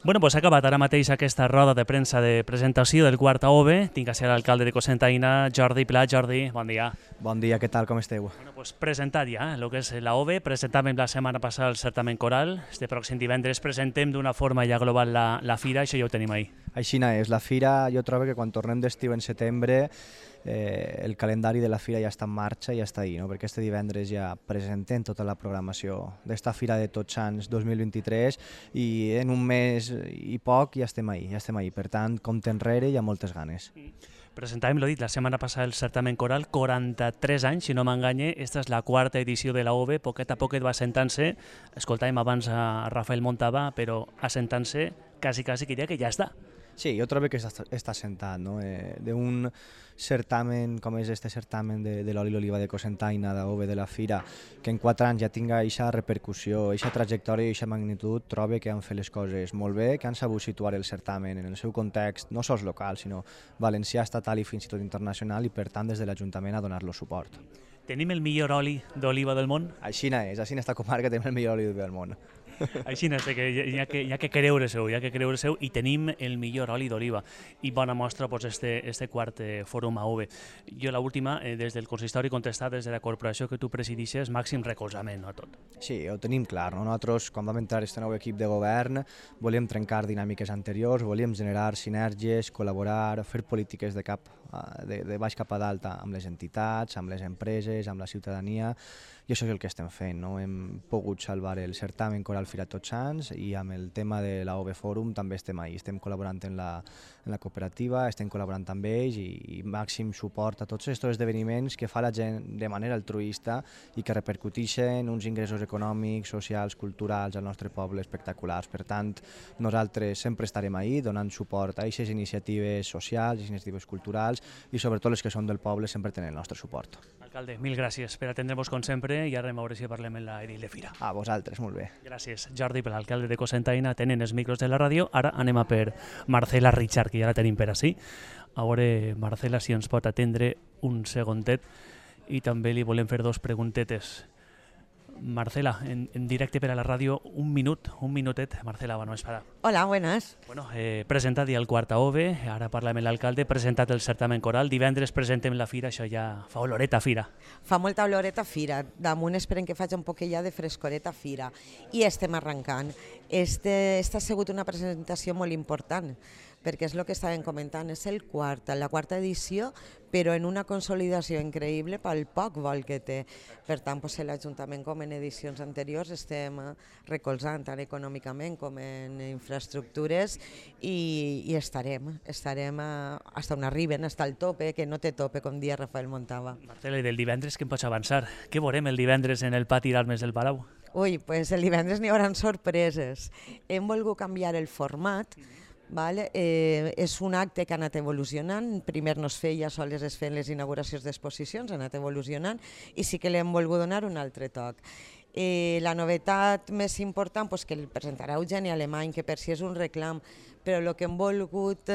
Bueno, doncs ha acabat ara mateix aquesta roda de premsa de presentació del quart AOVE. Tinc a ser l'alcalde de Cocentaina, Jordi Pla. Jordi, bon dia. Bon dia, què tal, com esteu? Bueno, doncs presentat ja, el que és l'AOVE. Presentàvem la setmana passada el certamen coral. Este pròxim divendres presentem d'una forma ja global la fira, això ja ho tenim ahir. Aixina és, la fira jo trobo que quan tornem d'estiu en setembre el calendari de la fira ja està en marxa i ja està ahí, no? Perquè este divendres ja presentem tota la programació d'esta Fira de Tots Sants 2023 i en un mes i poc ja estem ahí. Per tant, compte enrere i amb moltes ganes. Presentàvem, l'ho dit, la setmana passada el certamen coral, 43 anys, si no m'enganye, esta és la quarta edició de l'AOVE, poquet a poquet va assentant-se, escoltàvem abans a Rafael Montava, però assentant-se quasi que diria que ja està. Sí, jo trobo que està assentat, no? D'un certamen com és este certamen de l'oli i l'oliva de Cocentaina, d'AOVE de la Fira, que en 4 anys ja tinga aquesta repercussió, aquesta trajectòria i aquesta magnitud, trobo que han fet les coses molt bé, que han sabut situar el certamen en el seu context, no sols local, sinó valencià, estatal i fins i tot internacional, i per tant des de l'Ajuntament a donar-lo suport. Tenim el millor oli d'oliva del món? Aixina és, així en esta comarca tenim el millor oli del món. Així és, que hi ha que creure-seu, i tenim el millor oli d'oliva. I bona mostra este quart fòrum AOVE. Jo l'última, des del consistori contestat, des de la corporació que tu presidixes, màxim recolzament a tot. Sí, ho tenim clar, no? Nosaltres, quan vam entrar a aquest nou equip de govern, volíem trencar dinàmiques anteriors, volíem generar sinergies, col·laborar, fer polítiques de baix cap a dalt amb les entitats, amb les empreses, amb la ciutadania, i això és el que estem fent, no? Hem pogut salvar el certamen coral Fira Tots Sants i amb el tema de l'AOVE Fòrum també estem ahí, estem col·laborant en la cooperativa, estem col·laborant amb ells i màxim suport a tots aquests esdeveniments que fa la gent de manera altruista i que repercuteixen uns ingressos econòmics, socials, culturals al nostre poble espectaculars. Per tant, nosaltres sempre estarem ahí donant suport a aquestes iniciatives socials, iniciatives culturals i sobretot les que són del poble sempre tenen el nostre suport. Alcalde, mil gràcies per atendre'ns com sempre i ara a veure si parlem en la edil de Fira. A vosaltres, molt bé. Gràcies, Jordi, per l'alcalde de Cocentaina, tenen els micros de la ràdio. Ara anem a per Marcela Richard, que ja la tenim per ací. A veure, Marcela, si ens pot atendre un segondet i també li volem fer 2 preguntetes. Marcela, en directe per a la ràdio, un minutet. Marcela, bueno, és para... Hola, buenas. Bueno, presentat ja el quart AOVE, ara parlem amb l'alcalde, presentat el certamen coral, divendres presentem la fira, això ja fa oloreta a fira. Fa molta oloreta a fira, damunt esperem que faci un poquet ja de frescoreta a fira i estem arrencant. Esta ha sigut una presentació molt important, perquè és el que estàvem comentant, és la quarta edició, però en una consolidació increïble pel poc vol que té. Per tant, l'Ajuntament, com en edicions anteriors, estem recolzant tant econòmicament com en infraestructures i estarem fins on arriben, fins al tope, que no té tope, com dia Rafael Montava. Marcela, i del divendres què em pots avançar? Què veurem el divendres en el pati d'armes del Palau? Ui, doncs el divendres n'hi haurà sorpreses. Hem volgut canviar el format. És un acte que ha anat evolucionant, primer no es feia, sols es feien les inauguracions d'exposicions, ha anat evolucionant i sí que li hem volgut donar un altre toc. La novetat més important que el presentarà Eugeni Alemany, que per si és un reclam, però el que hem volgut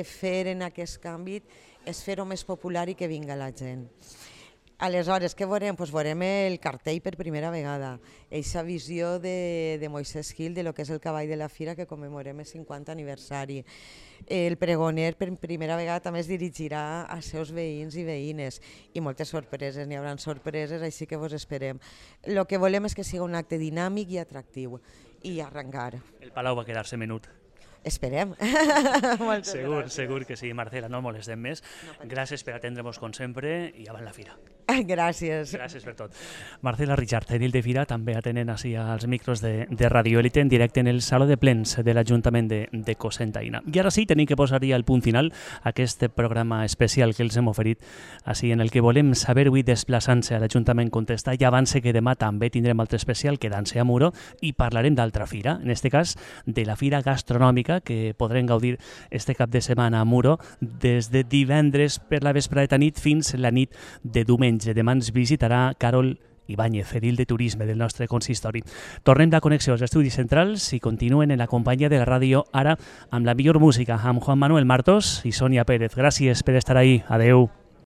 fer en aquest canvi és fer-ho més popular i que vinga la gent. Aleshores, què veurem? Veurem el cartell per primera vegada, aquesta visió de Moisés Gil de lo que és el cavall de la fira que commemorem el 50 aniversari. El pregoner per primera vegada també es dirigirà als seus veïns i veïnes i moltes sorpreses, n'hi haurà sorpreses, així que vos esperem. El que volem és que sigui un acte dinàmic i atractiu i arrencar. El Palau va quedar-se menut. Esperem. Segur que sí, Marcela, no molestem més. Gràcies per atendre-nos com sempre i avant la fira. Gràcies. Gràcies per tot. Marcela Richard, edil de Fira, també atenent així als micros de Radio Élite en directe en el Saló de Plens de l'Ajuntament de Cocentaina. I ara sí, tenim que posar ja el punt final a aquest programa especial que els hem oferit, així en el que volem saber avui desplaçant-se a l'Ajuntament Contestar. Ja avance que demà també tindrem altre especial, quedant-se a Muro, i parlarem d'altra fira, en aquest cas de la Fira Gastronòmica, que podrem gaudir este cap de setmana a Muro des de divendres per la vesprada nit fins la nit de diumenge. Demà ens visitarà Carol Ibáñez, edil de Turisme del nostre consistori. Tornem de connexió als estudis centrals i continuen en la companyia de la ràdio ara amb la millor música, amb Juan Manuel Martos i Sònia Pérez. Gràcies per estar ahí. Adeu.